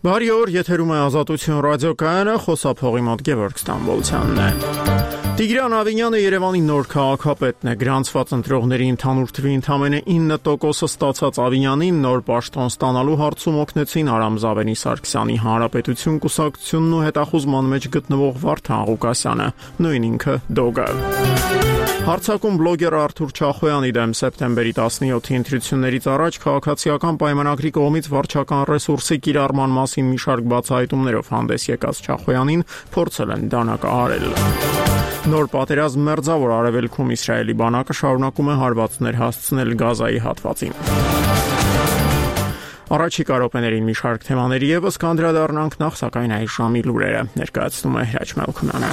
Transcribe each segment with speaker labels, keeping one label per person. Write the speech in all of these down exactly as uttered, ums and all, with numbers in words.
Speaker 1: Բարի օր, եթերում է Ազատություն ռադիոկայանը, խոսափողի մոտ Գևորգ Ստամբոլցյանն է։ Տիգրան Ավինյանը Երևանի նոր քաղաքապետն է։ Գրանցված ընտրողների ընդհանուր թվի ընդամենը ինը տոկոսը ստացած Ավինյանին նոր պաշտոն ստանալու հարցում օգնեցին Արամ Զավենի Սարգսյանի Հանրապետություն կուսակցությունն ու հետախուզման մեջ գտնվող Վարդան Ղուկասյանը, նույն ինքը Դոգը։ Հարցակում բլոգեր Արթուր Չախոյանի դեմ սեպտեմբերի տասնյոթի ընտրություններից առաջ քաղաքացիական պայմանագրի կողմից վարչական ռեսուրսի կիրառման մասին մի շարք բացահայտումներով հանդես եկած Չախոյանին փորձել են դանակահարել։ Նոր պատերազմ մերձավոր արևելքում Իսրայելի բանակը շարունակում է հարվածներ հասցնել Գազայի հատվածին։ Առաջիկա րոպեներին մի շարք թեմաների ևս կանդրադառնանք, նախ սակայն այս ժամի լուրերը ներկայացնում է Հրաչ Մելքոնյանը։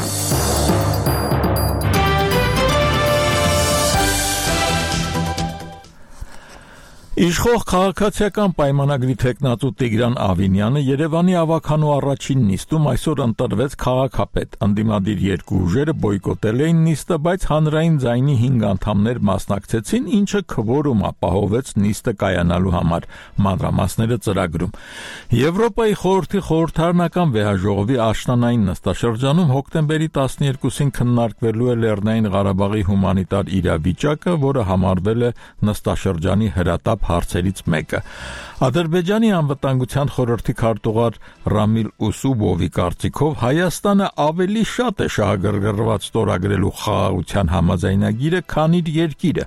Speaker 2: Իշխող քաղաքացիական պայմանագրի թեկնածու Տիգրան Ավինյանը Երևանի ավագանու առաջին նիստում այսօր ընտրվեց քաղաքապետ։ Ընդդիմադիր երկու ուժերը բոյկոտել էին նիստը, բայց հանրային ձայնի հինգ անդամներ մասնակցեցին, ինչը քվորում ապահովեց նիստը կայանալու համար։ Մանրամասները ծրագրում։ Եվրոպայի խորհրդի խորհրդարանական վեհաժողովի աշնանային նստաշրջանում հոկտեմբերի տասնյոթին քննարկվելու է Լեռնային Ղարաբաղի հումանիտար իրավիճակը, որը համարվել է նստաշրջանի հրատապ հարցերից մեկը։ Ադրբեջանի անվտանգության խորհրդի քարտուղար Ռամիլ Ուսուբովի կարծիքով Հայաստանը ավելի շատ է շահագրգռված ստորագրելու խաղաղության համաձայնագիրը, քան իր երկիրը։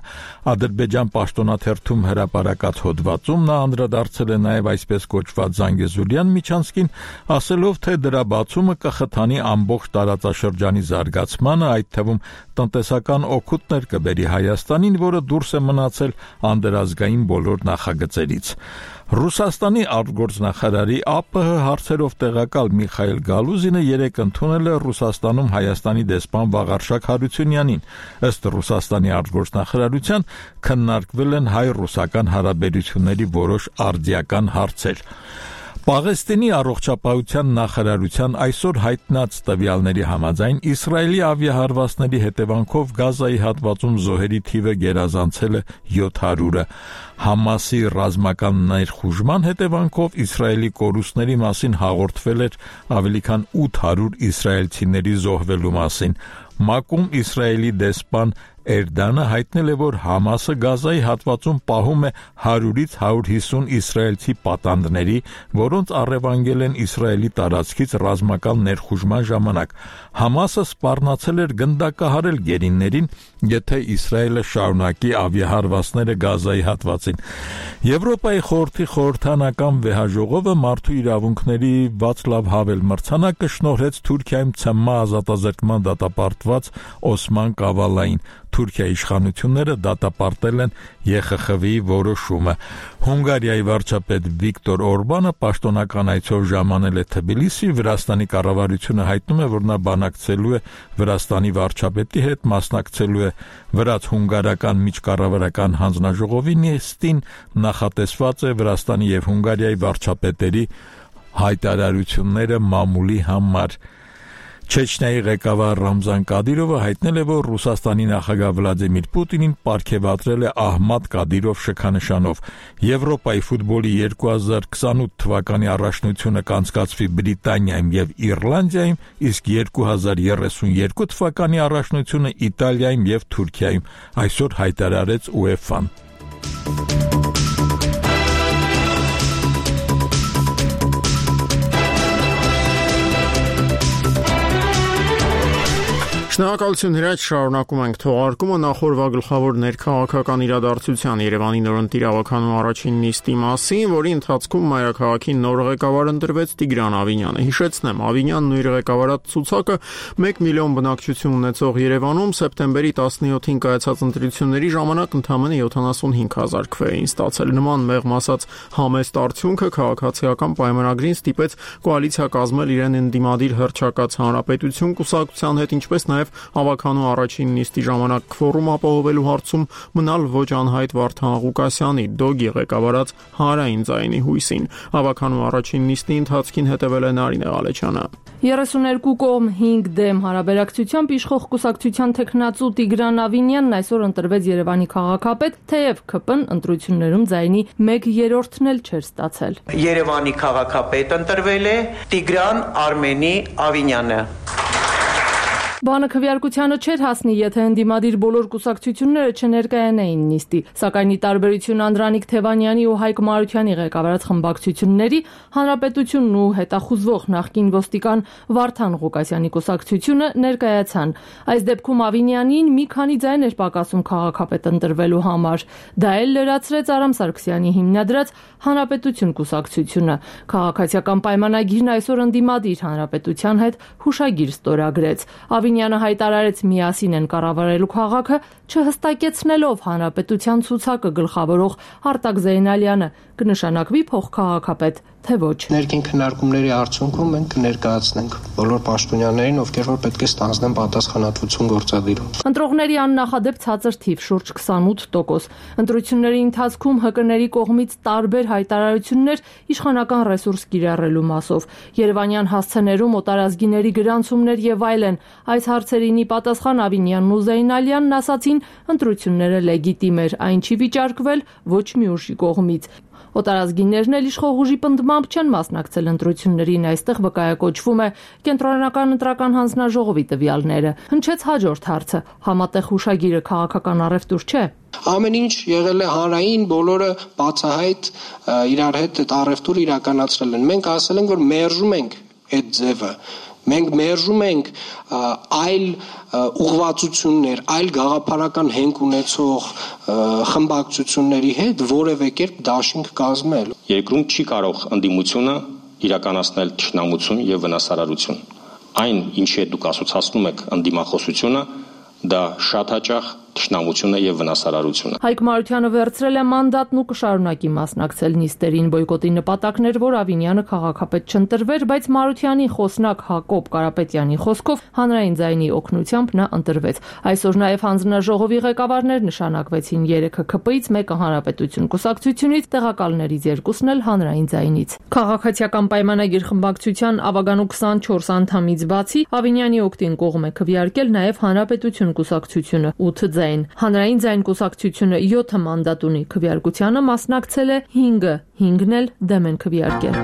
Speaker 2: Ադրբեջան պաշտոնաթերթում հրապարակած հոդվածում նա անդրադարձել է նաև այսպես կոչված Զանգեզուրյան միջանցքին, ասելով, թե դրա բացումը կխթանի ամբողջ տարածաշրջանի զարգացմանը, այդ թվում տնտեսական օգուտներ կբերի Հայաստանին, որը դուրս է մնացել անդրազգային բոլոր նախագծերից։ Ռուսաստանի արտգործնախարարի ԱՊՀ հարցերով տեղակալ Միխայել Գալուզինը երեկ ընդունել է Ռուսաստանում Հայաստանի դեսպան Վաղարշակ Հարությունյանին։ Ըստ Ռուսաստանի արտգործնախարարության քննարկվել են հայ-ռուսական հարաբերությունների որոշ արդիական հարցեր։ Պաղեստինի առողջապահության նախարարության այսօր հայտնած տվյալների համաձայն Իսրայելի ավիահարվածների հետևանքով Գազայի հատվածում զոհերի թիվը գերազանցել է յոթ հարյուրը։ Համասի ռազմական ներխուժման հետևանքով Իսրայելի կորուստների մասին հաղորդվել էր ավելի քան ութ հարյուր իսրայելցիների զոհվելու մասին։ ՄԱԿ-ում Իսրայելի դեսպան Էրդանը հայտնել է, որ Համասը Գազայի հատվածում պահում է հարյուրից հարյուր հիսուն իսրայելցի պատանդների, որոնց առևանգել են Իսրայելի տարածքից ռազմական ներխուժման ժամանակ։ Համասը սպառնացել էր գնդակահարել գերիներին, եթե Իսրայելը շարունակի ավիահարվածները Գազայի հատվածին։ Եվրոպայի խորհրդի խորհրդարանական վեհաժողովը մարդու իրավունքների Վացլավ Հավել մրցանակը շնորհեց Թուրքիայում ՑՄ ազատազրկման դատապարտված Օսման Կավալային։ Թուրքիայի իշխանությունները դատապարտել են ԵԽԽՎ-ի որոշումը։ Հունգարիայի վարչապետ Վիկտոր Օրբանը պաշտոնական այցով ժամանել է Թբիլիսի, Վրաստանի կառավարությունը հայտնում է, որ նա բանակցելու է Վրաստանի վարչապետի հետ, մասնակցելու է վրաց-հունգարական միջկառավարական հանձնաժողովի նիստին, նախատեսված է Վրաստանի եւ Հունգարիայի վարչապետերի հայտարարությունները մամուլի համար։ Չեչնիայի ղեկավար Ռամզան Կադիրովը հայտնել է, որ Ռուսաստանի նախագահ Վլադիմիր Պուտինին պարգևատրել է Ահմադ Կադիրով շքանշանով։ Եվրոպայի ֆուտբոլի երկու հազար քսանութ թվականի առաջնությունը կանցկացվի Բրիտանիայում եւ Իռլանդիայում, իսկ երկու հազար երեսունյերկու թվականի առաջնությունը Իտալիայում եւ Թուրքիայում, այսօր հայտարարեց ՈՒԵՖԱ-ն։
Speaker 1: Շնորհակալություն Հրաչ, շարունակում ենք թողարկումը նախորդ գլխավոր ներքաղաքական իրադարձության Երևանի նորընտիր ավագանու առաջին նիստի մասին, որի ընթացքում մայրաքաղաքի նոր ղեկավար ընտրվեց Տիգրան Ավինյանը։ Հիշեցնեմ, Ավինյանն ու իր ղեկավարած ցուցակը մեկ միլիոն բնակչություն ունեցող Երևանում սեպտեմբերի տասնյոթին կայացած ընտրությունների ժամանակ ընդամենը յոթանասունհինգ հազար քվե էին ստացել։ Նման մեղմ ասած համեստ արդյունքը քաղաքացիական պայմանագրին ստիպեց կոալիցիա կազմել իրեն ընդդիմադիր հռչակած Հանրապետություն կուսակցության հետ, ինչպես նաև ավագանու առաջին նիստի ժամանակ քվորում ապահովելու հարցում մնալ ոչ անհայտ Վարդան Ղուկասյանի Դոգի ղեկավարած Հանրային ձայնի հույսին։ Ավագանու առաջին նիստի ընթացքին հետևել է Նարինե Ղալեչյանը։
Speaker 3: երեսուներկու կողմ հինգ դեմ հարաբերակցությամբ իշխող կուսակցության թեկնածու Տիգրան Ավինյանն այսօր ընտրվեց Երևանի քաղաքապետ, թեև ՔՊ Ն ընտրություններում ձայնի մեկ երրորդն էլ չէր ստացել։
Speaker 4: Երևանի քաղաքապետ ընտրվել է Տիգրան Արմենի Ավինյանը։
Speaker 3: Բանը քվեարկությանը չէր հասնի, եթե ընդդիմադիր բոլոր կուսակցությունները չներկայանային նիստի, սակայն ի տարբերություն Անդրանիկ Թևանյանի ու Հայկ Մարությանի ղեկավարած խմբակցությունների, Հանրապետությունն ու հետախուզվող նախկին ոստիկան Վարդան Ղուկասյանի կուսակցությունը ներկայացան։ Այս դեպքում Ավինյանին մի քանի ձայն էր պակասում քաղաքապետ ընտրվելու համար։ Դա էլ լրացրեց Արամ Սարգսյանի հիմնադրած Հանրապետություն կուսակցությունը։ Քաղաքացիական պայմանագիրն այսօր ընդդիմադիր Հանրապետության հետ հուշագիր ստորագրեց։ Ավինյանը հայտարարեց միասին են կառավարելու քաղաքը, չհստակեցնելով Հանրապետության ցուցակը գլխավորող Արտակ Զեյնալյանը կնշանակվի փոխքաղաքապետ, թե ոչ։
Speaker 5: Ներքին քննարկումների արդյունքում մենք կներկայացնենք բոլոր պաշտոնյաներին, ովքեր որ պետք է ստանձնեն պատասխանատվություն գործադիրում։
Speaker 3: Ընտրողների աննախադեպ ցածր թիվ շուրջ քսանութ տոկոս։ Ընտրությունների ընթացքում ՀԿ-ների կողմից տարբեր հայտարարություններ իշխանական ռեսուրս կիրառելու մասով, Երևանյան հասցեներում օտարազգիների գրանցումներ եւ այլն։ Այս հարցերին ի պատասխան Ավինյանն ու Զեյնալյանն ասացին, ընտրությունները լեգիտիմ էր, այն չի վիճարկվել ոչ մի ուժի կողմից։ Օտարազգիներն էլ իշխող ուժի պնդմամբ չեն մասնակցել ընտրություններին, այստեղ վկայակոչվում է Կենտրոնական ընտրական հանձնաժողովի տվյալները։ Հնչեց հաջորդ հարցը՝ համատեղ հուշագիրը քաղաքական առևտուր չէ։
Speaker 5: Ամեն ինչ եղել է հանրային, բոլորը բացահայտ իրար հետ այդ առևտուրը իրականացրել են։ Մենք ասել ենք, որ մերժում ենք այդ ձևը։ Մենք մերժում ենք այլ ուղղվածություններ, այլ գաղափարական հենք ունեցող խմբակցությունների հետ որևէ կերպ դաշինք կազմել։
Speaker 6: Երկրում չի կարող ընդդիմությունը իրականացնել թշնամություն եւ վնասարարություն։ Այն, ինչի հետ դուք ասոցացնում եք ընդդիմախոսությունը, դա շատ հաճախ թշնամությունը եւ վնասարարությունը։
Speaker 3: Հայկ Մարությանը վերցրել է մանդատն ու կշարունակի մասնակցել նիստերին, բոյկոտի նպատակն էր, որ Ավինյանը քաղաքապետ չընտրվեր, բայց Մարությանի խոսնակ Հակոբ Կարապետյանի խոսքով հանրային ձայնի օգնությամբ նա ընտրվեց։ Այսօր նաեւ հանձնաժողովի ղեկավարներ նշանակվեցին, երեքը ՔՊ-ից, մեկը Հանրապետություն կուսակցությունից, տեղակալներից երկուսն էլ հանրային ձայնից։ Քաղաքացիական պայմանագիր խմբակցության ավագանու քսանչորս անդամից բացի Ավինյանի օգտին կողմ է քվեարկել նաեւ Հանրապետություն կուսակցությունը ութ ձայն։ Հանրային ձայն կուսակցությունը յոթ մանդատ ունի, քվեարկությանը մասնակցել է հինգը, հինգն էլ դեմ են քվեարկել։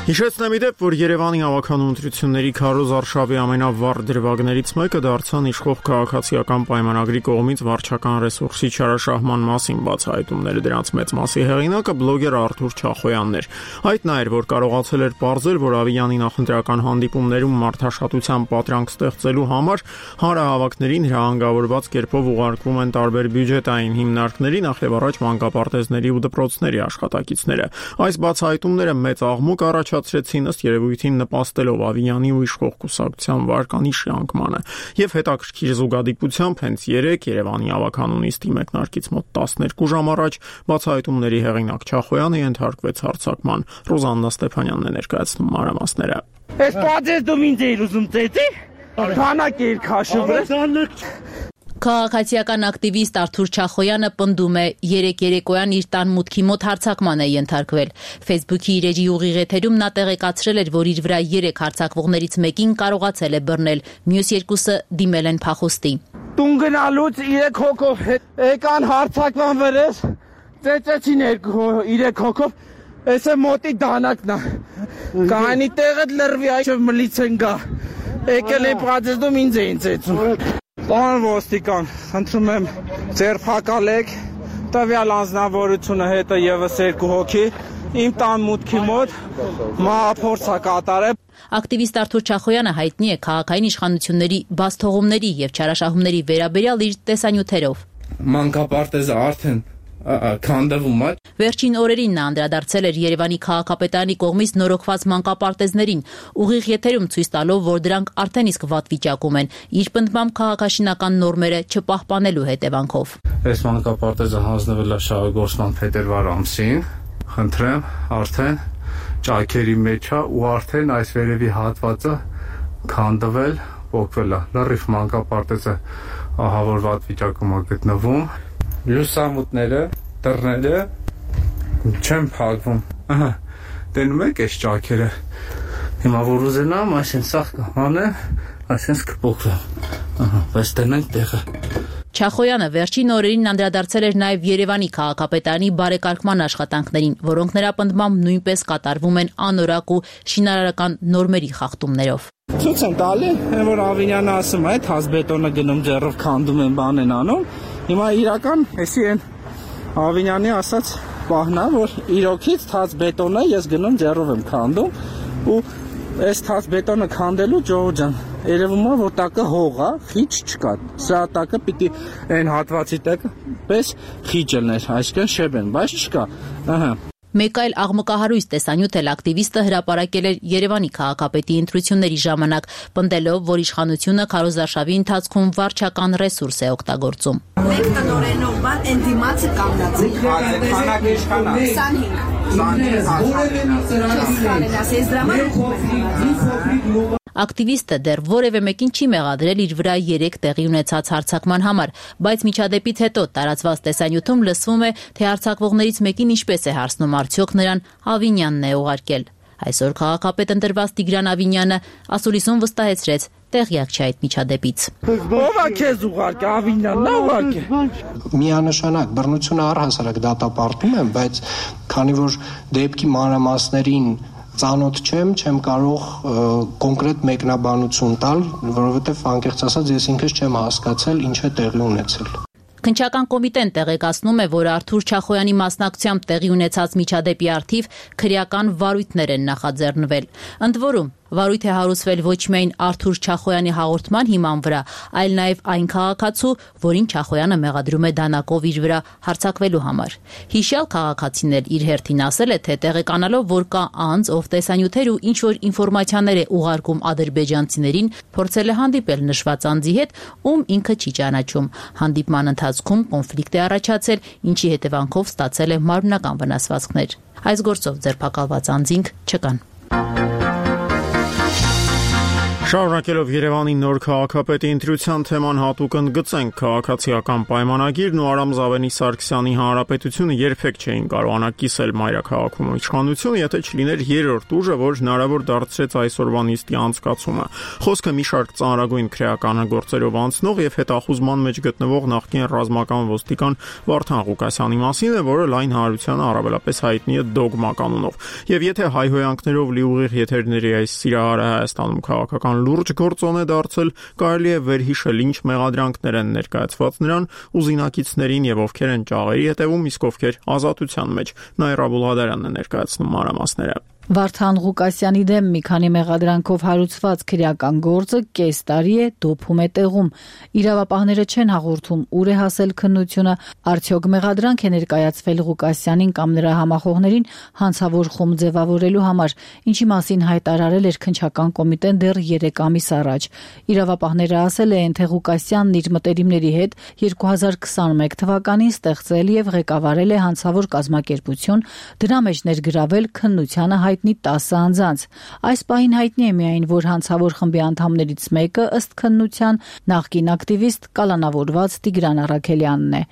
Speaker 1: Հիշեցնեմ իդեպ, որ Երևանի ավականու ընտրությունների քարոզ արշավի ամենավառ դրվագներից մեկը դարձան իշխող քաղաքացիական պայմանագրի կողմից վարչական ռեսուրսի չարաշահման մասին բացահայտումները, դրանց մեծ մասի հեղինակը բլոգեր Արթուր Չախոյանն էր։ Այդ նա էր, որ կարողացել էր պարզել, որ Ավինյանի նախընտրական հանդիպումներում մարդաշատության պատրանք ստեղծելու համար հանրահավաքներին հրահանգավորված կերպով ուղարկվում են տարբեր բյուջետային հիմնարկների, նախևառաջ մանկապարտեզների ու դպրոցների աշխատակիցները։ Այս բացահայտումները մեծ աղմուկ առաջ ցածրեցին ըստ երևույթին նպաստելով Ավինյանի ու իշխող կուսակցության վարկանիշի անկմանը եւ հետաքրքիր զուգադիպությամբ հենց երեկ Երևանի ավականու նիստի մեկնարկից մոտ տասներկու ժամ առաջ բացահայտումների հեղինակ Չախոյանը ենթարկվեց հարձակման։ Ռոզաննա Ստեփանյանն է ներկայացնում մանրամասները։
Speaker 7: Այս պատես դու ինձ էիր ուզում տետի։ Քանակ էիր քաշում։
Speaker 8: Քաղաքացիական ակտիվիստ Արթուր Չախոյանը պնդում է, երեք երեկոյան իր տան մուտքի մոտ հարձակման է ենթարկվել։ Facebook-ի իր էջի ուղիղ էթերում նա տեղեկացրել էր, որ իր վրա երեք հարձակվողներից մեկին կարողացել է բռնել, մյուս երկուսը դիմել են փախուստի։
Speaker 7: Տուն գնալուց երեք հոգով եկան հարձակման վրես, ծեծեցին երեք հոգով, այս է մոտի դանակն է։ Կանի տեղը լրվի, այժմ մլիցեն գա։ Եկել են պատեզդում ինձ էին ծեծում։ Պարոն ոստիկան, խնդրում եմ ձերբակալեք տվյալ անձնավորությունը հետը եւս երկու հոգի իմ տան մուտքի մոտ մահափորձ է կատարել։
Speaker 8: Ակտիվիստ Արթուր Չախոյանը հայտնի է քաղաքային իշխանությունների բացթողումների եւ չարաշահումների վերաբերյալ իր տեսանյութերով։
Speaker 9: Մանկապարտեզը արդեն քանդվում է։
Speaker 8: Վերջին օրերին նա անդրադարձել էր Երևանի քաղաքապետարանի կողմից նորոգված մանկապարտեզներին, ուղիղ եթերում ցույց տալով, որ դրանք արդեն իսկ վատ վիճակում են, իր պնդմամբ քաղաքաշինական նորմերը չպահպանելու հետևանքով։
Speaker 9: Այս մանկապարտեզը հանձնվել է շահագործման փետրվար ամսին, խնդրեմ, արդեն ճայքերի մեջ է ու արդեն այս վերևի հատվածը քանդվել, փոկվել է։ Լրիվ մանկապարտեզը ահա որ վատ վիճակում է գտնվում։ Լուսամուտները, դռները չեն փակվում։ Ահա, տենում եք այս ճաքերը։ Հիմա որ ուզենամ, այսինքն սա կանեմ, այսինքն կփոխեմ։ Ահա, բայց տնենք տեղը։
Speaker 8: Չախոյանը վերջին օրերին անդրադարձել էր նաև Երևանի քաղաքապետարանի բարեկարգման աշխատանքներին, որոնք նրա պնդմամբ նույնպես կատարվում են անորակ ու շինարարական նորմերի խախտումներով։
Speaker 7: Ցույց են տալի, որ Ավինյանը ասում է, թաց բետոնը գնում ձեռով քանդում են, բան են անում։ Հիմա իրական, էսի են Ավինյանի ասած պահնա, որ իրոքից թաց բետոնը ես գնում ձեռով եմ քանդում ու այս թաց բետոնը քանդելու Ջոհ ջան, երևում է որ տակը հող է, խիչ չկա։ Սա տակը պիտի այն հատվածի տակ պես խիչ լիներ, այսինքն շեբեն, բայց չկա։ Ահա։
Speaker 8: Մեկ այլ աղմկահարույց տեսանյութ էլ ակտիվիստը հրապարակել էր Երևանի քաղաքապետի ընտրությունների ժամանակ, պնդելով, որ իշխանությունը քարոզարշավի ընթացքում վարչական ռեսուրս է օգտագործում։
Speaker 10: Մենք տնօրենով բան են դիմացը կանգնացեք։
Speaker 7: Քանակ իշխանա։
Speaker 10: քանակ
Speaker 8: Ակտիվիստը դեռ որևէ մեկին չի մեղադրել իր վրա երեք տեղի ունեցած հարձակման համար, բայց միջադեպից հետո տարածված տեսանյութում լսվում է, թե հարձակվողներից մեկին ինչպես է հարցնում արդյոք նրան Ավինյանն է ուղարկել։ Այսօր քաղաքապետ ընտրված Տիգրան Ավինյանը ասուլիսում վստահեցրեց, տեղյակ չէ այդ միջադեպից։
Speaker 7: Ո՞վ է քեզ ուղարկել, Ավինյանն է ուղարկել։
Speaker 5: Միանշանակ բռնությունը առհասարակ դատապարտում եմ, բայց քանի որ դեպքի մանրամասներին ծանոթ չեմ, չեմ կարող կոնկրետ մեկնաբանություն տալ, որովհետև անկեղծ ասած ես ինքս չեմ հասկացել ինչ է տեղի ունեցել։
Speaker 8: Քննչական կոմիտեն տեղեկացնում է, որ Արթուր Չախոյանի մասնակցությամբ տեղի ունեցած միջադեպի առթիվ քրեական վարույթներ են նախաձեռնվել։ Ընդ որում, վարույթ է հարուցվել ոչ միայն Արթուր Չախոյանի հաղորդման հիման վրա, այլ նաև այն քաղաքացու, որին Չախոյանը մեղադրում է դանակով իր վրա հարձակվելու համար։ Հիշյալ քաղաքացին էլ իր հերթին ասել է, թե տեղեկանալով, որ կա անձ, ով տեսանյութեր ու ինչ-որ ինֆորմացիաներ է ուղարկում ադրբեջանցիներին, փորձել է հանդիպել նշված անձի հետ, ում ինքը չի ճանաչում։ Հանդիպման ընթացքում կոնֆլիկտ է առաջացել, ինչի հետևանքով ստացել է մարմնական վնասվածքներ։ Այս գործով ձերբակալված անձինք չկան։
Speaker 1: Շարունակելով Երևանի նոր քաղաքապետի ընտրության թեման հատուկ ընդգծենք քաղաքացիական պայմանագիրն ու Արամ Զավենի Սարգսյանի հանրապետությունը երբեք չէին կարողանա կիսել մայրաքաղաքում իշխանությունը, եթե չլիներ երրորդ ուժը, որ հնարավոր դարձրեց այսօրվա նիստի անցկացումը։ Խոսքը մի շարք ծանրագույն քրեական գործերով անցնող եւ հետախուզման մեջ գտնվող նախկին ռազմական ոստիկան Վարդան Ղուկասյանի մասին է, որը լայն հանրությանը առավելապես հայտնի է դոգմա կանոնով։ Եվ եթե հայհոյանքներով լի ուղիղ եթերների այս սիրահարը Հայաստանում քաղաքական լուրջ գործոն է դարձել, կարելի է վերհիշել ինչ մեղադրանքներ են ներկայացված նրան ու զինակիցներին եւ ովքեր են ճաղերի հետևում, իսկ ովքեր ազատության մեջ։ Նաիրա Բուլղադարյանն է ներկայացնում մանրամասները։
Speaker 11: Վարդան Ղուկասյանի դեմ մի քանի մեղադրանքով հարուցված քրեական գործը կես տարի է դոփում է տեղում։ Իրավապահները չեն հաղորդում ուր է հասել քննությունը, արդյոք մեղադրանք է ներկայացվել Ղուկասյանին կամ նրա համախոհներին հանցավոր խումբ ձևավորելու համար, ինչի մասին հայտարարել էր քննչական կոմիտեն դեռ երեք ամիս առաջ։ Իրավապահները ասել են, թե Ղուկասյանն իր մտերիմների հետ երկու հազար քսաներկու թվականին ստեղծել եւ ղեկավարել է հանցավոր կազմակերպություն, դրա մեջ ներգրավել քննությանը հայտնի տասը անձանց։ Այս պահին հայտնի է միայն, որ հանցավոր խմբի անդամներից մեկը ըստ քննության նախկին ակտիվիստ կալանավորված Տիգրան Առաքելյանն է։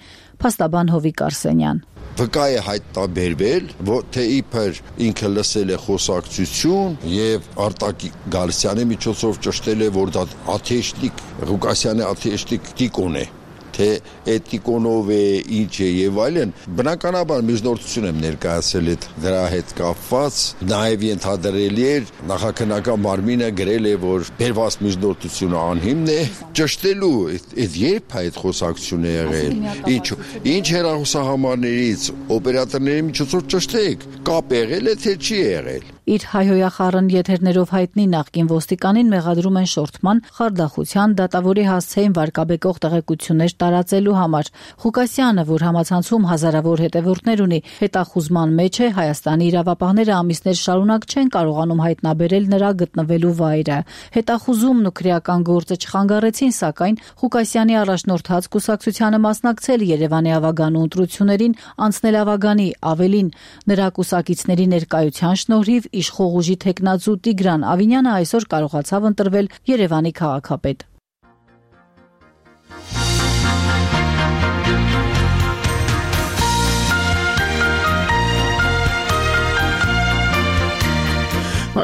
Speaker 11: Փաստաբան Հովիկ Արսենյան։
Speaker 12: Վկա է հայտնաբերվել, որ թե իբր ինքը լսել է խոսակցություն եւ Արտակ Գալստյանի միջոցով ճշտել է, որ դա աթեշտիկ Ղուկասյանի աթեշտիկ տիկոն է, թե էթիկոնով է, ինչ է եւ այլն, բնականաբար միջնորդություն եմ ներկայացել այդ դրա հետ կապված, նաեւ ենթադրելի էր նախաքննական մարմինը գրել է, որ բերված միջնորդությունը անհիմն է, ճշտելու այդ երբ այդ խոսակցությունը եղել, ինչ ինչ հեռախոսահամարներից օպերատորների միջոցով ճշտեք, կապ եղել է թե չի եղել։
Speaker 11: Իր հայհոյախառն եթերներով հայտնի նախկին ոստիկանին մեղադրում են շորթման, խարդախության, դատավորի հասցեին վարկաբեկող տեղեկություններ տարածելու համար։ Ղուկասյանը, որ համացանցում հազարավոր հետևորդներ ունի, հետախուզման մեջ է, Հայաստանի իրավապահները ամիսներ շարունակ չեն կարողանում հայտնաբերել նրա գտնվելու վայրը։ Հետախուզումն ու քրեական գործը չխանգարեցին, սակայն Ղուկասյանի առաջնորդած կուսակցությանը մասնակցել Երևանի ավագանու ընտրություններին, անցնել ավագանի, ավելին, նրա կուսակիցների ներկայության շնորհիվ իշխող ուժի թեկնածու Տիգրան Ավինյանը այսօր կարողացավ ընտրվել Երևանի քաղաքապետ։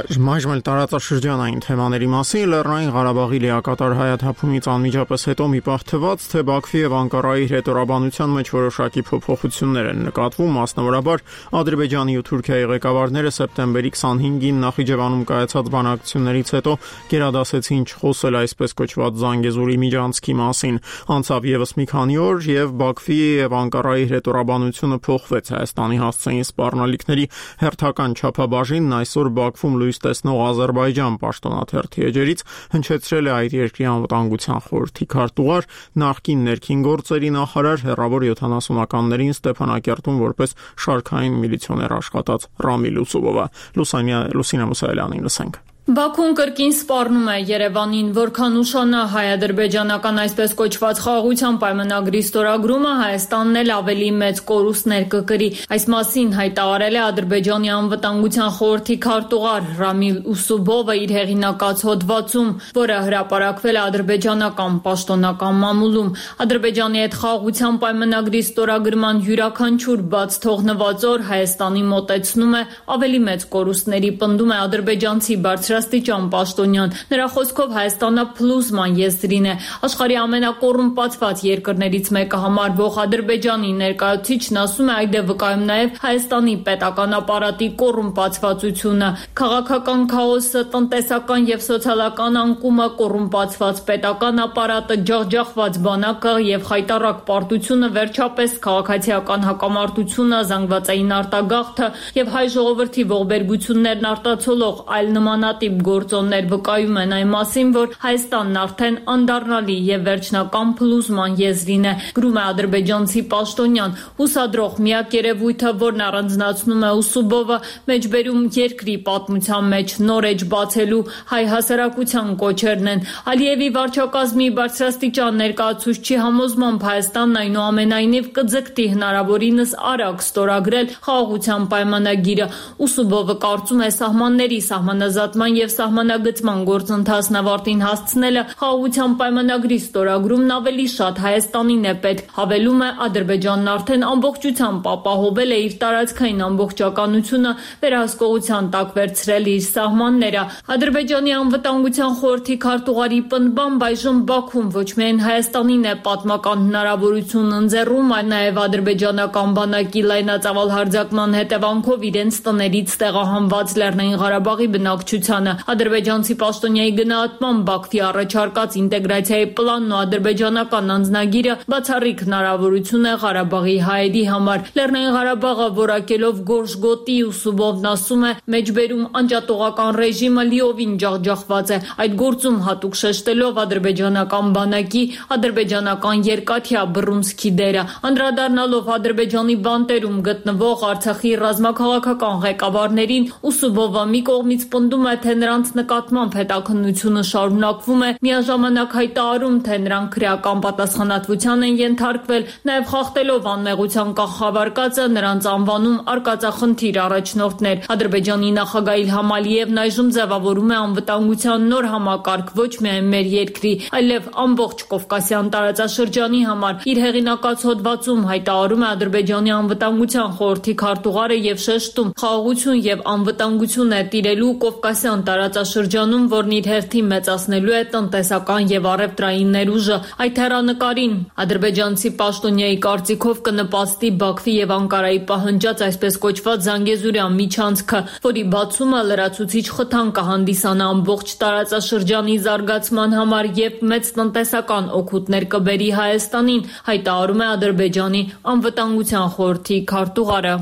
Speaker 1: Մայժմ էլ տարածաշրջանային թեմաների մասին Լեռնային Ղարաբաղի լիակատար հայաթափումից անմիջապես հետո մի պահ թվաց, թե Բաքվի եւ Անկարայի հետորաբանության մեջ որոշակի փոփոխություններ են նկատվում, մասնավորաբար Ադրբեջանի ու Թուրքիայի ղեկավարները սեպտեմբերի քսանհինգին Նախիջևանում կայացած բանակցություններից հետո գերադասեցին չխոսել այսպես կոչված Զանգեզուրի միջանցքի մասին։ Անցավ եւս մի քանի օր եւ Բաքվի եւ Անկարայի հետորաբանությունը փոխվեց։ Հայաստանի հասցեին սպառնալիքների հերթական չափաբաժինն այսօր Բաքվում լույս տեսնող Ադրբեջան պաշտոնաթերթի էջերից հնչեցրել է այդ երկրի անվտանգության խորհրդի քարտուղար, նախկին ներքին գործերի նախարար, հեռավոր յոթանասունականներին Ստեփանակերտում որպես շարքային միլիցիոներ աշխատած Ռամիլ Ուսուբովը։ Լուսինա Մուսայելյանին լսենք։
Speaker 13: Բաքուն կրկին սպառնում է Երևանին, որքան ուշանա հայ-ադրբեջանական այսպես կոչված խաղաղության պայմանագրի ստորագրումը, Հայաստանն էլ ավելի մեծ կորուստներ կկրի։ Այս մասին հայտարարել է Ադրբեջանի անվտանգության խորհրդի քարտուղար Ռամիլ Ուսուբովը իր հեղինակած հոդվածում, որը հրապարակվել է ադրբեջանական պաշտոնական մամուլում։ Ադրբեջանի հետ խաղաղության պայմանագրի ստորագրման յուրաքանչյուր բաց թողնված օր Հայաստանի մոտեցնում է ավելի մեծ կորուստների, պնդում է ադրբեջանցի բարձր Աստիճան Պաշտոնյան։ Նրա խոսքով Հայաստանը փլուզման եզրին է։ Աշխարհի ամենակոռումպացված երկրներից մեկը համարվող Ադրբեջանի ներկայացուցիչն ասում է, այդ է վկայում նաև Հայաստանի պետական ապարատի կոռումպացվածությունը։ Քաղաքական քաոսը, տնտեսական եւ սոցիալական անկումը, կոռումպացված պետական ապարատը, ջախջախված բանակը եւ խայտառակ պարտությունը, վերջապես քաղաքացիական հակամարտությունը, զանգվածային արտագաղթը եւ հայ ժողովրդի ողբերգություններն արտացոլող այլ նմանատիպ գործոններ վկայում են այն մասին, որ Հայաստանն արդեն անդառնալի եւ վերջնական փլուզման եզրին է, գրում է ադրբեջանցի պաշտոնյան։ Հուսադրող միակ երևույթը, որն առանձնացնում է Ուսուբովը, մեջբերում երկրի պատմության մեջ նոր էջ բացելու հայ հասարակության կոչերն են։ Ալիևի վարչակազմի բարձրաստիճան ներկայացուցչի համոզմամբ Հայաստանն այնուամենայնիվ կձգտի հնարավորինս արագ ստորագրել խաղաղության պայմանագիրը։ Ուսուբովը կարծում է սահմանների սահմանազատման եւ սահմանագծման գործընթացն ավարտին հասցնելը խաղաղության պայմանագրի ստորագրումն ավելի շատ Հայաստանին է պետք։ Հավելում է, Ադրբեջանն արդեն ամբողջությամբ ապահովել է իր տարածքային ամբողջականությունը, վերահսկողության տակ վերցրել իր սահմանները։ Ադրբեջանի անվտանգության խորհրդի քարտուղարի պնդմամբ այժմ Բաքուն ոչ միայն Հայաստանին է պատմական հնարավորություն ընձեռում, այլ նաեւ ադրբեջանական բանակի լայնածավալ հարձակման հետևանքով իրենց տներից տեղահանված Լեռնային Ղարաբաղի բնակչությանը։ Ադրբեջանցի պաշտոնյայի գնահատմամբ Բաքվի առաջարկած ինտեգրացիայի պլանն ու ադրբեջանական անձնագիրը բացառիկ հնարավորություն է Ղարաբաղի հայերի համար։ Լեռնային Ղարաբաղը որակելով գորշ գոտի, Ուսուբովն ասում է, մեջբերում անջատողական ռեժիմը լիովին ջախջախված է։ Այդ գործում հատուկ շեշտելով ադրբեջանական բանակի, ադրբեջանական երկաթյա բռունցքի դերը, անդրադառնալով Ադրբեջանի բանտերում գտնվող Արցախի ռազմաքաղաքական ղեկավարներին, Ուսուբովը մի կողմից պնդում է, թե նրանց նկատմամբ հետաքննությունը շարունակվում է, միաժամանակ հայտարարում, թե նրանք քրեական պատասխանատվության են ենթարկվել, նաև խախտելով անմեղության կախավարկածը, նրանց անվանում արկածախնդիր առաջնորդներ։ Ադրբեջանի նախագահ Իլհամ Ալիևն այժմ ձևավորում է անվտանգության նոր համակարգ ոչ միայն մեր երկրի, այլև ամբողջ Կովկասյան տարածաշրջանի համար։ Իր հեղինակած հոդվածում հայտարարում է Ադրբեջանի անվտանգության խորհրդի քարտուղարը եւ շեշտում, խաղաղություն եւ անվտանգություն է տիրելու Կովկասյան տարածաշրջանում, որն իր հերթին մեծացնելու է տնտեսական եւ առևտրային ներուժը։ Այդ հեռանկարին ադրբեջանցի պաշտոնյայի կարծիքով կնպաստի Բաքվի եւ Անկարայի պահանջած այսպես կոչված Զանգեզուրյան միջանցքը, որի բացումը լրացուցիչ խթան կհանդիսանա ամբողջ տարածաշրջանի զարգացման համար եւ մեծ տնտեսական օգուտներ կբերի Հայաստանին, հայտարարում է Ադրբեջանի անվտանգության խորհրդի քարտուղարը։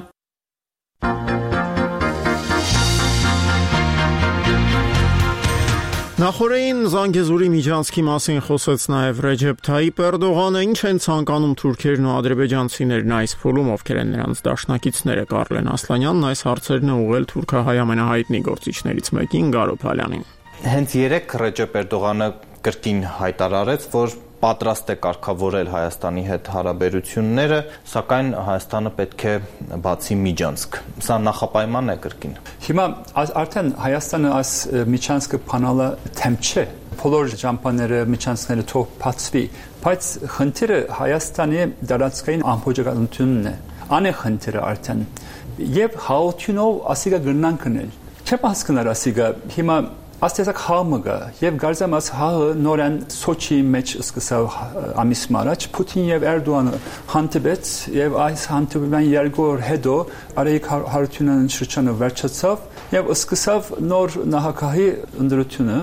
Speaker 1: Նախորդին Զանգեզուրի միջանցքի մասին խոսեց նաև Ռեջեփ Թայիպ Էրդողանը, ինչ են ցանկանում թուրքերն ու ադրբեջանցիներն այս փուլում, ովքեր են նրանց դաշնակիցները։ Կարլեն Ասլանյանն այս հարցերն է ուղղել թուրքահայ ամենահայտնի գործիչներից մեկին Գարո Փալյանին։
Speaker 14: Հենց երեք Ռեջեփ Էրդողանը կրկին հայտարարեց, որ պատրաստ է կարգավորել Հայաստանի հետ հարաբերությունները, սակայն Հայաստանը պետք է բացի միջանցք։ Սա նախապայման է կրկին։
Speaker 15: Հիմա արդեն Հայաստանը այս միջանցքը փանալը թեմ չէ։ Բոլոր ճամփաները, միջանցքները թող բացվի, բայց խնդիրը Հայաստանի դարածքային ամբողջականությունն է։ Ան է խնդիրը արդեն։ Եվ հաղորդյունով ասիկա գրնան կնել։ Չեմ հասկանում ասիգա հիմա Աստեզակ համը եւ գարձամ աս հաղը նորեն Սոչի մեջ սկսավ ամիս մարաջ Պուտին եւ Էրդողանը հանդիպեց եւ այս հանդիպման երկու օր հետո արեիք հարությունն շրջանը վերջացավ եւ սկսավ նոր նահանգահի ընդրությունը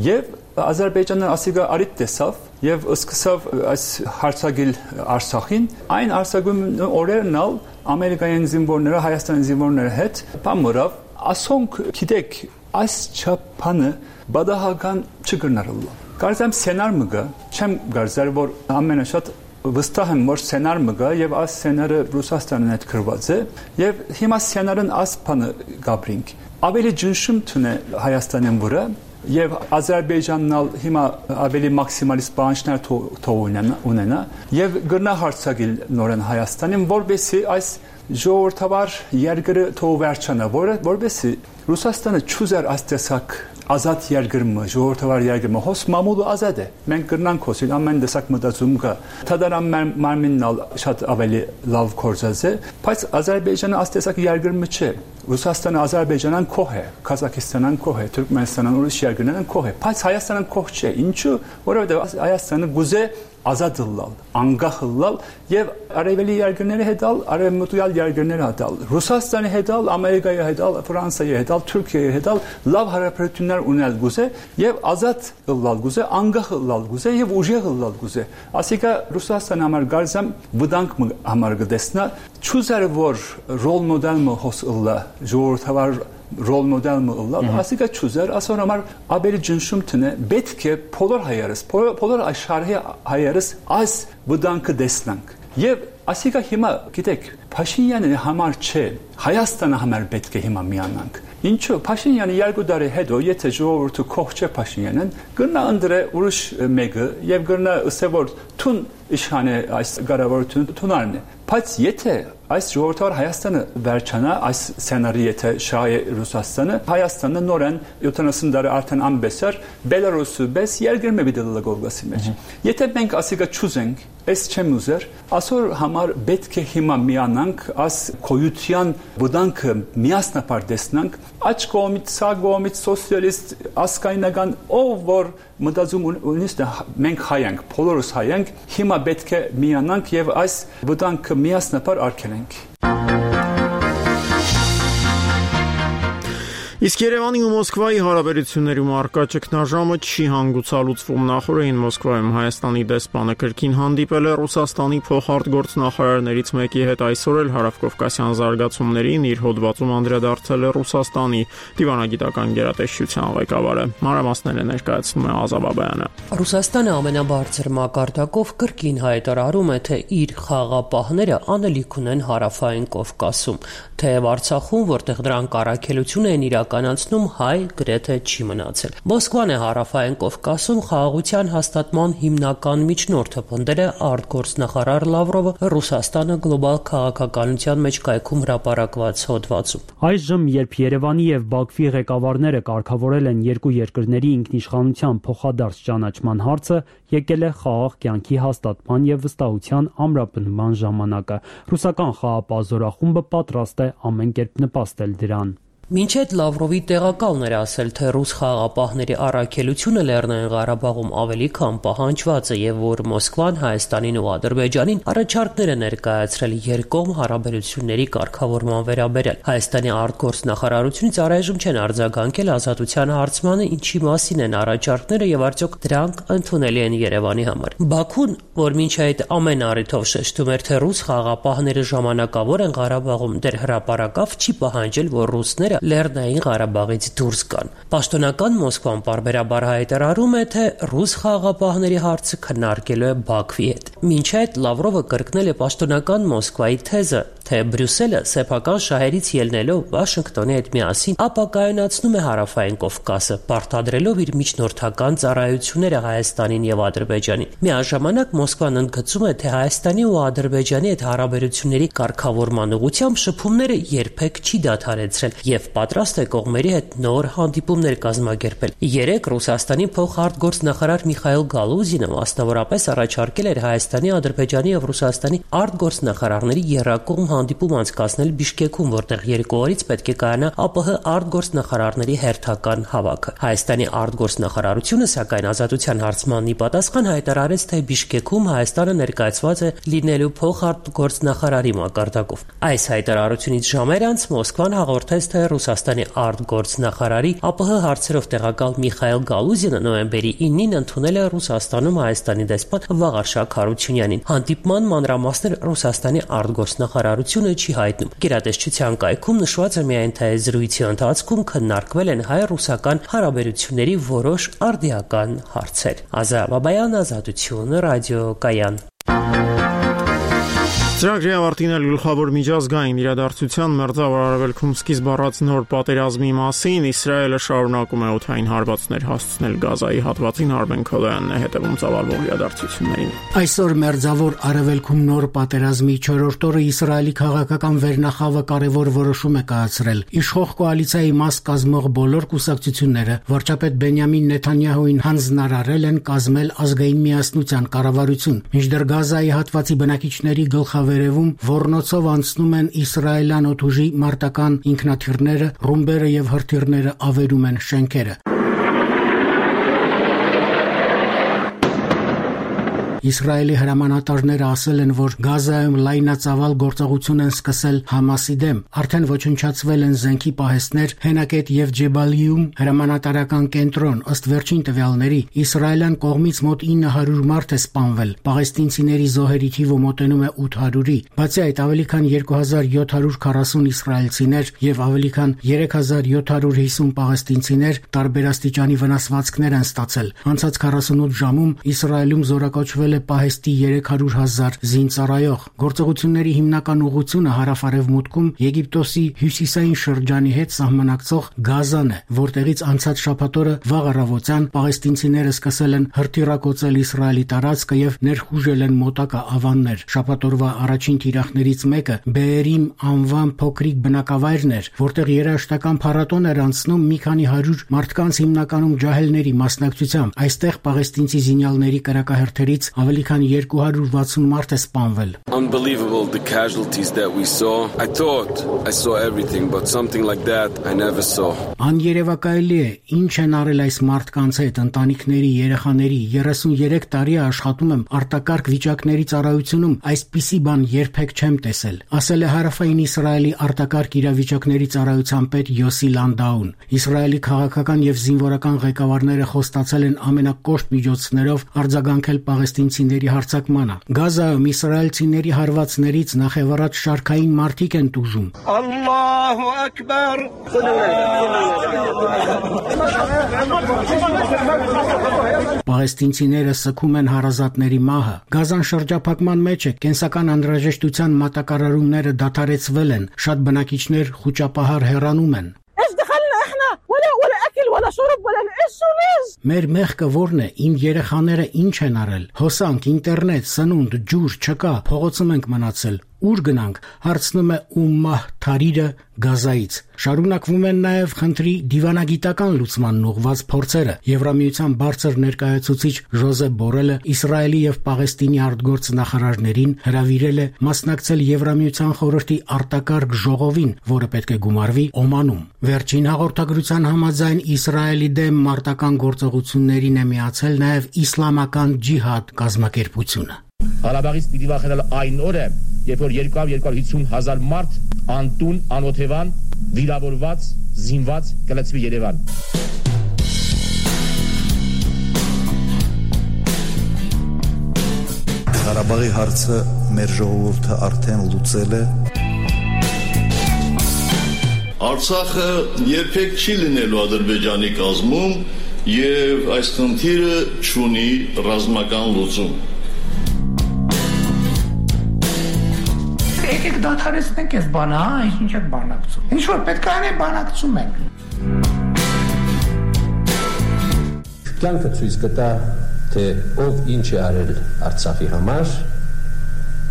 Speaker 15: եւ Ադրբեջանը ասիգա արիտ տեսավ եւ սկսավ այս հարցագիլ Արցախին այն Արցախում օրերն ալ ամերիկյան զինվորները Հայաստանի զինվորների հետ բամորավ ասոնք գիտեք այս չափանը բադահական չգրնարել։ Կարծեմ սցենար մգա, չեմ գարձար որ ամենաշատ վստահ եմ որ սցենար մգա եւ այս սցենարը Ռուսաստանն հետ գրված է եւ հիմա սցենարն ասփանը գաբրինք։ Ավելի ջնշում թունե Հայաստանին վրա եւ Ադրբեջանն ալ հիմա ավելի մաքսիմալիստ բանջներ թողունենա ունենա եւ գրնա հարցակիլ նորեն Հայաստանին որբեսի այս ժողովրդավար երկրը թող վերջանա որը որբեսի Ռուսաստանը չուզեր աստեսակ ազատ երկրը ժողովրդավար երկրը հոս մամուլը ազատ է մենք կրնանք հոսել ամեն տեսակ մտածում կա թադարան մարմիննալ շատ ավելի լավ կորզած է բայց Ադրբեջանը աստեսակ երկրը չէ Ռուսաստանը Ադրբեջանան կող է Կազախստանան կող է Թուրքմենստանան ուրիշ երկրներն կող է բայց Հայաստանն կող չէ ինչու որովհետեւ Հայաստանը գուզե ազատ լալ անգախ լալ եւ արևելի երկրների հետ ալ արևմտյալ երկրների հետ ալ Ռուսաստանի հետ ալ Ամերիկայի հետ ալ Ֆրանսիայի հետ ալ Թուրքիայի հետ ալ լավ հարաբերություններ ունել գուզե եւ ազատ լալ գուզե անգախ լալ գուզե եւ ուժեղ լալ գուզե ասիկա Ռուսաստանը համար գարզամ վտանգ համար գտեսնա չուզեր որ ռոլ մոդելը հոսլա ժողովրդավար rol model mı oldu? Asika çözer. Asora mar abeli cinsum tüne betke polar hayarız. Polar, polar aşarı hayarız. Az budankı deslank. Yev asika hima gidek. Paşinyanı hamar çe. Hayastana hamar betke hima miyanank. İnço Paşinyanı yargıdarı hedo yeteci ortu kohçe Paşinyanın gırna andre uruş megi yev gırna ısevor tun işhane as garavor tun tunarne. Paç yete as jortar Hayastanı verçana as senariyete şaye Rusastanı Hayastanı noren yutanasındarı artan ambeser Belarus'u bes yer girme bidalala golgası meç. Yete bank asiga çuzenk es çemuzer asor hamar betke hima mianank as koyutyan budank miasna pardesnank aç komit sağ komit sosyalist askaynagan o vor mıdazum uniste menk hayank Polarus hayank hima betke mianank yev as budank miasna par arkenenk.
Speaker 1: Իսկ Երևանի ու Մոսկվայի հարաբերություններում առկա ճգնաժամը չի հանգուցալուծվում նախորդին Մոսկվայում Հայաստանի դեսպանը կրկին հանդիպել է Ռուսաստանի փոխարտգործնախարարներից մեկի հետ այսօր էլ հարավկովկասյան զարգացումներին իր հոդվածում անդրադարձել է Ռուսաստանի դիվանագիտական գերատեսչության ղեկավարը մանրամասները ներկայացնում է Ազա Բաբայանը
Speaker 16: Ռուսաստանը ամենաբարձր մակարդակով կրկին հայտարարում է թե իր խաղապահները անելիք ունեն հարավային Կովկասում թեև Արցախում որտեղ դրանք առաքելություն են իրական կանացնում հայ գրեթե չի մնացել։ Մոսկվան է հարավային Կովկասում խաղաղության հաստատման հիմնական միջնորդը պնդել է արտգործնախարար Լավրովը Ռուսաստանը գլոբալ քաղաքականության մեջ կայքում հրապարակված հոդվածում։
Speaker 17: Այժմ, երբ Երևանի եւ Բաքվի ղեկավարները կարգավորել են երկու երկրների ինքնիշխանության փոխադարձ ճանաչման հարցը, եկել է խաղաղ կյանքի հաստատման եւ վստահության ամրապնդման ժամանակը։ Ռուսական խաղապահ զորախումբը պատրաստ է ամեն կերպ նպաստել դրան։
Speaker 16: Մինչ այդ Լավրովի տեղակալն էր ասել, թե ռուս խաղապահների առաքելությունը Լեռնային Ղարաբաղում ավելի քան պահանջված է եւ որ Մոսկվան Հայաստանին ու Ադրբեջանին առաջարկներ է ներկայացրել երկկողմ հարաբերությունների կարգավորման վերաբերյալ։ Հայաստանի արտգործնախարարությունից առայժմ չեն արձագանքել ազատության հարցմանը, ինչի մասին են առաջարկները եւ արդյոք դրանք ընդունելի են Երևանի համար։ Բաքուն, որ մինչ այդ ամեն առիթով շեշտում էր, թե ռուս խաղապահները ժամանակավոր են Ղարաբաղում, դեռ հրապարակավ չի պահանջել, որ ռուսները Լեռնային Ղարաբաղից դուրս գան։ Պաշտոնական Մոսկվան պարբերաբար հայտարարում է, թե ռուս խաղապահների հարցը քննարկելու է Բաքվի հետ։ Մինչ այդ Լավրովը կրկնել է պաշտոնական Մոսկվայի թեզը, թե Բրյուսելը սեփական շահերից ելնելով Վաշինգտոնի հետ միասին ապակայունացնում է հարավային Կովկասը, պարտադրելով իր միջնորդական ծառայությունները Հայաստանին եւ Ադրբեջանին։ Միաժամանակ Մոսկվան ընդգծում է, թե Հայաստանի ու Ադրբեջանի հետ հարաբերությունների կարգավորման ուղղությամբ շփումները երբեք չի դադարեցրել եւ պատրաստ է կողմերի հետ նոր հանդիպումներ կազմակերպել։ Երեք Ռուսաստանի փոխարտգործնախարար Միխայիլ Գալուզինը մասնավորապես առաջարկել էր Հայաստանի, Ադրբեջանի եւ Ռուսաստանի արտգործնախարարների երրակողմ հանդիպում անցկացնել Բիշկեքում, որտեղ երկու օրից պետք է կայանա ԱՊՀ արտգործնախարարների հերթական հավաքը։ Հայաստանի արտգործնախարարությունը, սակայն Ազատության հարցմանի պատասխան հայտարարեց, թե Բիշկեքում Հայաստանը ներկայացված է լինելու փոխարտգործնախարարի մակարդակով։ Այս հայտարարությունից ժամեր անց Մոսկվան հաղորդեց, թե Ռուսաստանի արտգործնախարարի ԱՊՀ հարցերով տեղակալ Միխայել Գալուզյանը նոյեմբերի ինին ընդունել է Ռուսաստանում Հայաստանի դեսպան Վաղարշակ Հարությունյանին։ Հանդիպման մանրամասներ Ռուսաստանի արտգործնախարարությունը չի հայտնում։ Գերատեսչության կայքում նշված է միայն, թե զրույցի ընթացքում քննարկվել են հայ-ռուսական հարաբերությունների որոշ արդիական հարցեր։ Ազա Բաբայան, Ազատություն, ռադիոկայան։
Speaker 1: Ծրագրի ավարտին էլ գլխավոր միջազգային իրադարձության մերձավոր արևելքում սկիզբ առած նոր պատերազմի մասին Իսրայելը շարունակում է օդային հարվածներ հասցնել Գազայի հատվածին։ Արմեն Քոլոյանն է հետևում ծավալվող իրադարձություններին։
Speaker 18: Այսօր մերձավոր արևելքում նոր պատերազմի չորրորդ օրը Իսրայելի քաղաքական վերնախավը կարևոր որոշում է կայացրել։ Իշխող կոալիցիայի մաս կազմող բոլոր կուսակցությունները վարչապետ Բենյամին Նեթանյահուին հանձնարարել են կազմել ազգային միասնության կառավարություն, մինչդեռ Գազայի հատվածի բնակիչների գլխավոր վերևում ոռնոցով անցնում են իսրայելյան օդուժի մարտական ինքնաթիռները, ռումբերը եւ հրթիռները ավերում են շենքերը։ Իսրայելի հրամանատարները ասել են, որ Գազայում լայնածավալ գործողություն են սկսել Համասի դեմ։ Արդեն ոչնչացվել են զենքի պահեստներ Հենակետ եւ Ջեբալիում հրամանատարական կենտրոն։ Ըստ վերջին տվյալների, իսրայելյան կողմից մոտ ինը հարյուր մարդ է սպանվել։ Պաղեստինցիների զոհերի թիվը մոտենում է ութ հարյուրի։ Բացի այդ, ավելի քան երկու հազար յոթ հարյուր քառասուն իսրայելցիներ եւ ավելի քան երեք հազար յոթ հարյուր հիսուն պաղեստինցիներ տարբերաստիճանի վնասվածքներ են ստացել։ Անցած քառասունութ ժամում Իսրայելում զորակոչվել պահեստի երեք հարյուր հազար զինծառայող։ Գործողությունների հիմնական ուղղությունը հարավ-արևմուտքում Եգիպտոսի հյուսիսային շրջանի հետ սահմանակցող Գազան է, որտեղից անցած շաբաթ օրը վաղ առավոտյան պաղեստինցիները սկսել են հրթիռակոծել Իսրայելի տարածքը եւ ներխուժել են մոտակա ավաններ։ Շաբաթ օրվա առաջին թիրախներից մեկը Բեերիմ անվան փոքրիկ բնակավայրն էր, որտեղ երաժշտական փառատոն էր անցնում մի քանի հարյուր մարդկանց, հիմնականում ջահելների մասնակցությամբ։ Այստեղ պաղեստինցի զինյալների կրակահերթերից ավելի քան երկու հարյուր վաթսուն մարդ է սպանվել։
Speaker 19: Unbelievable the casualties that we saw. I thought I saw everything, but something like that I never saw.
Speaker 18: Աներևակայելի է, ինչ են արել այս մարդկանց հետ, ընտանիքների, երեխաների, երեսունյերեք տարի է աշխատում եմ արտակարգ վիճակների ծառայությունում, այսպիսի բան երբեք չեմ տեսել, ասել է Հարավային Իսրայելի արտակարգ իրավիճակների ծառայության պետ Յոսի Լանդաուն։ Իսրայելի քաղաքական եւ զինվորական ղեկավարները խոստացել են ամենակոշտ միջոցներով արձագանքել պաղեստինցիների հարձակմանը։ Գազայում իսրայելցիների հարվածներից նախևառաջ շարքային մարդիկ են տուժում։
Speaker 7: Ալլահու ակբար։
Speaker 18: Պաղեստինցիները սգում են հարազատների մահը։ Գազան շրջափակման մեջ է, կենսական անհրաժեշտության մատակարարումները դադարեցվել են, շատ բնակիչներ խուճապահար հեռանում են։ Մեր մեղքը ո՞րն է, իմ երեխաները ինչ են արել։ Հոսանք, ինտերնետ, սնունդ, ջուր չկա, փողոցում ենք մնացել։ Ուր գնանք, հարցնում է Ումմահ Թարիրը Գազայից։ Շարունակվում են նաև խնդրի դիվանագիտական լուծմանն ուղղված փորձերը։ Եվրամիության բարձր ներկայացուցիչ Ժոզեփ Բորելը Իսրայելի եւ Պաղեստինի արտգործնախարարներին հրավիրել է մասնակցել Եվրամիության խորհրդի արտակարգ ժողովին, որը պետք է գումարվի Օմանում։ Վերջին հաղորդագրության համաձայն Իսրայելի դեմ մարտական գործողություններին է միացել նաև Իսլամական ջիհադ կազմակերպությունը։
Speaker 20: Ղարաբաղից պիտի վախենալ այն օրը, երբ որ երկու հարյուր հիսուն հազար մարդ անտուն, անօթևան, վիրավորված, զինված կլցվի Երևան։
Speaker 21: Ղարաբաղի հարցը մեր ժողովուրդը արդեն լուծել է։
Speaker 22: Արցախը երբեք չի լինելու Ադրբեջանի կազմում եւ այս խնդիրը չունի ռազմական լուծում։
Speaker 23: Եկեք դադարեցնենք այս բանը, հա, ինչ եք բանակցում։ Ինչ որ պետք է անենք, բանակցում ենք։
Speaker 24: Կյանքը ցույց կտա, թե ով ինչ է արել Արցախի համար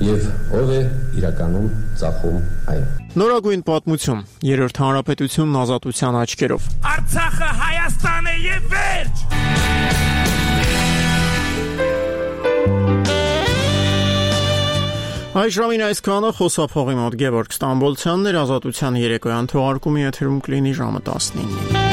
Speaker 24: եւ ով է իրականում ծախում այն։
Speaker 1: Նորագույն պատմություն, երրորդ հանրապետությունն ազատության աչքերով։
Speaker 7: Արցախը Հայաստան է եւ վերջ։
Speaker 1: Այս ժամին այսքանը խոսափողի մոտ Գևորգ Ստամբոլցյանն էր, Ազատության երեկոյան թողարկումի եթերում կլինի ժամը տասնինը։